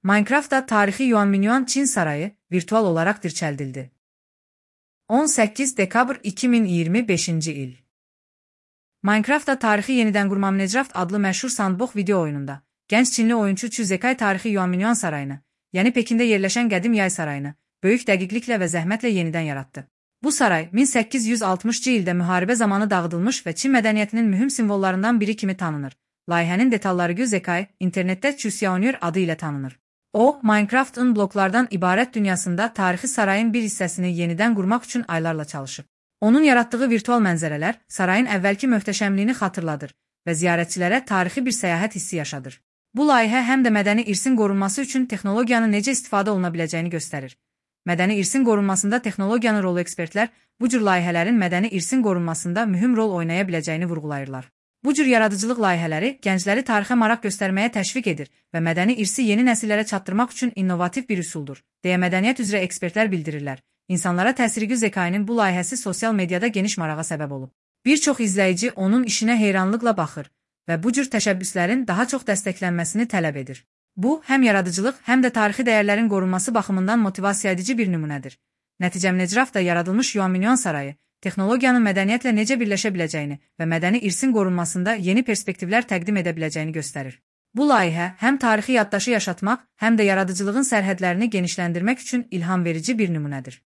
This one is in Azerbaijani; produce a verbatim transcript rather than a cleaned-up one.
Minecraft'da tarixi Yuanminyan Çin sarayı virtual olarak dirçəldildi. on səkkiz dekabr iki min iyirmi beşinci il. Minecraft'da tarixi yenidən qurma Minecraft adlı məşhur sandbox video oyununda gənc Çinli oyunçu Çu Zekai tarixi Yuanminyan sarayını, yəni Pekində yerləşən qədim yay sarayını, böyük dəqiqliklə və zəhmətlə yenidən yaratdı. Bu saray min səkkiz yüz altmışıncı ildə müharibə zamanı dağıdılmış və Çin mədəniyyətinin mühüm simvollarından biri kimi tanınır. Layihənin detalları Çu Zekai internetdə Çu Xiaonyer adı ilə tanınır. O, Minecraft'ın bloklardan ibarət dünyasında tarixi sarayın bir hissəsini yenidən qurmaq üçün aylarla çalışıb. Onun yaratdığı virtual mənzərələr sarayın əvvəlki möhtəşəmliyini xatırladır və ziyarətçilərə tarixi bir səyahət hissi yaşadır. Bu layihə həm də mədəni irsin qorunması üçün texnologiyanın necə istifadə oluna biləcəyini göstərir. Mədəni irsin qorunmasında texnologiyanın rolu ekspertlər bu cür layihələrin mədəni irsin qorunmasında mühüm rol oynaya biləcəyini vurğulayırlar. Bu cür yaradıcılıq layihələri gəncləri tarixə maraq göstərməyə təşviq edir və mədəni irsi yeni nəsillərə çatdırmaq üçün innovativ bir üsuldur, deyə mədəniyyət üzrə ekspertlər bildirirlər. İnsanlara təsiri Çu Zekai'nin bu layihəsi sosial mediada geniş marağa səbəb olub. Bir çox izləyici onun işinə heyranlıqla baxır və bu cür təşəbbüslərin daha çox dəstəklənməsini tələb edir. Bu, həm yaradıcılıq, həm də tarixi dəyərlərin qorunması baxımından motivasiya edici bir nümunədir. Nəticə Minecraft'da yaradılmış Yuanminyan sarayı, texnologiyanın mədəniyyətlə necə birləşə biləcəyini və mədəni irsin qorunmasında yeni perspektivlər təqdim edə biləcəyini göstərir. Bu layihə həm tarixi yaddaşı yaşatmaq, həm də yaradıcılığın sərhədlərini genişləndirmək üçün ilham verici bir nümunədir.